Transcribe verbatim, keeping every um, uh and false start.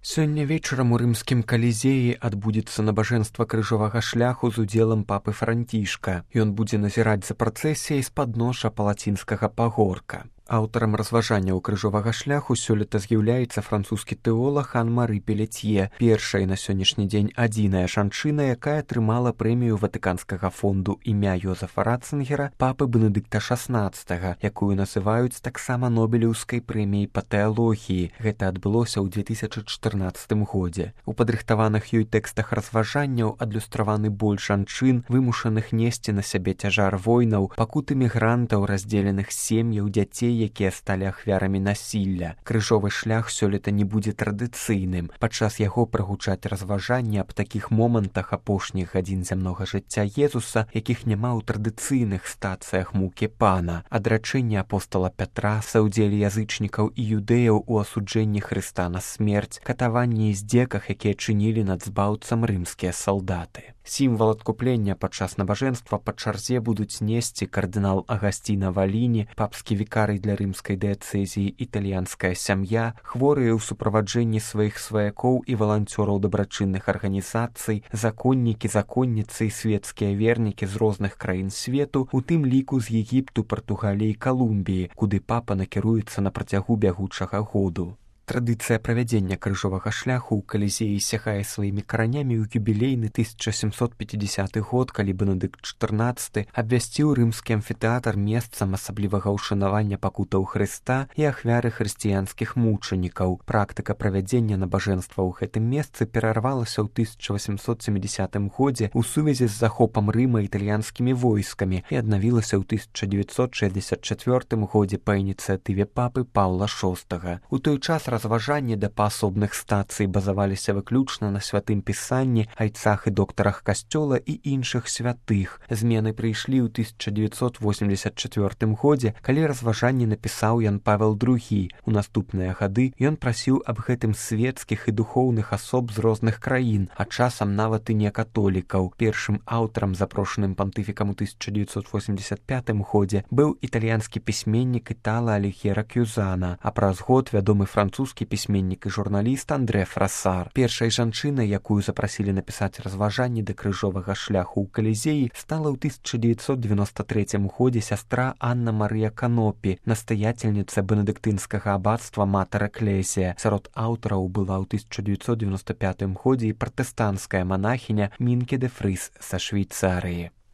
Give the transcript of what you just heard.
Сёння вечарам у рымскім калізеі адбудзецца набажэнства крыжовага шляху з удзелам папы Францішка. Ён будзе назіраць за працэсіяй з падножжа палацінскага пагорка. Аўтарам разважанняў крыжовага шляху сёлета з'яўляецца французскі тэолаг Ан-Мары Пелецье, першая на сённяшні дзень адзіная жанчына, якая атрымала прэмію Ватыканскага фонду імя Йозефа Ратцынгера папы Бенедыкта шаснаццатага, якую называюць таксама нобелеўскай прэміяй па тэалогіі. Гэта адбылося ў две тысячы чатырнаццатым годзе. У падрыхтаваных ёй тэкстах разважанняў адлюстраваны боль жанчын, вымушаных несці на сябе цяжар войнаў, пакуты мігрантаў, раздзеленых сем'яў, дзяцей, якія сталі ахвярамі насілля. Крыжовы шлях сёлета не будзе традыцыйным. Падчас яго прагучаць разважанні аб такіх момантах апошніх гадзін зямнога жыцця Езуса, якіх няма ў традыцыйных стацыях мукі пана, адрачэнне апостала Пятра, саўдзеле язычнікаў і юдэяў у асуджэнні Хрыста на смерць, катаванні і здзеках, якія чынілі над збаўцам рымскія салдаты. Сімвал адкуплення падчас набажэнства па чарзе будуць несці кардынал Агасціна Валіні, папскі вікарый для рымскай дыяцэзіі італьянская сям'я, хворыя ў суправаджэнні сваіх сваякоў і валанцёраў дабрачынных арганізацый, законнікі, законніцы і светскія вернікі з розных краін свету, у тым ліку з Егіпту, Партугаліі і Калумбіі, куды папа накіруецца на працягу бягучага году. Традыцыя правядзення крыжовага шляху ў калізеі сягае сваімі каранямі ў юбілейны тысяча сямсот пяцідзясяты год, калі Бенедыкт чатырнаццаты абвясціў рымскі амфітэатр месцам асаблівага ўшанавання пакутаў Хрыста і ахвяры хрысціянскіх мучанікаў. Практыка правядзення набажэнства ў гэтым месцы перарвалася ў тысяча васемсот сямідзясятым годзе ў сувязі з захопам Рыма італьянскімі войскамі і аднавілася ў тысяча дзевяцьсот шэсцьдзесят чацвёртым годзе па ініцыятыве папы Паўла шостага. У той час разважанні да паасобных стацый базаваліся выключна на святым пісанні, айцах і доктарах касцёла і іншых святых. Змены прыйшлі ў тысяча дзевяцьсот восемьдесят чацвёртым годзе, калі разважанні напісаў Ян Павел другі. У наступныя гады ён прасіў аб гэтым светскіх і духоўных асоб з розных краін, а часам нават і не католікаў. Першым аўтарам, запрошаным пантыфікам у тысяча дзевяцьсот восемьдесят пятым годзе, быў італьянскі пісьменнік Італа Алігера Кюзана, а праз год вядомы французскі пісьменнік і журналіст Андрэ Фрасар. Першай жанчынай, якую запрасілі напісаць разважанні да крыжовага шляху ў калізеі, стала ў тысяча дзевяцьсот девяносто трэцім годзе сястра Анна Марыя Канопі, настаяцельніца бенедыктынскага абацтва Матэр Экклесія. Сярод аўтараў была ў тысяча дзевяцьсот девяносто пятым годзе і пратэстанцкая манахіня Мінке де Фрыс са Швейцарыі.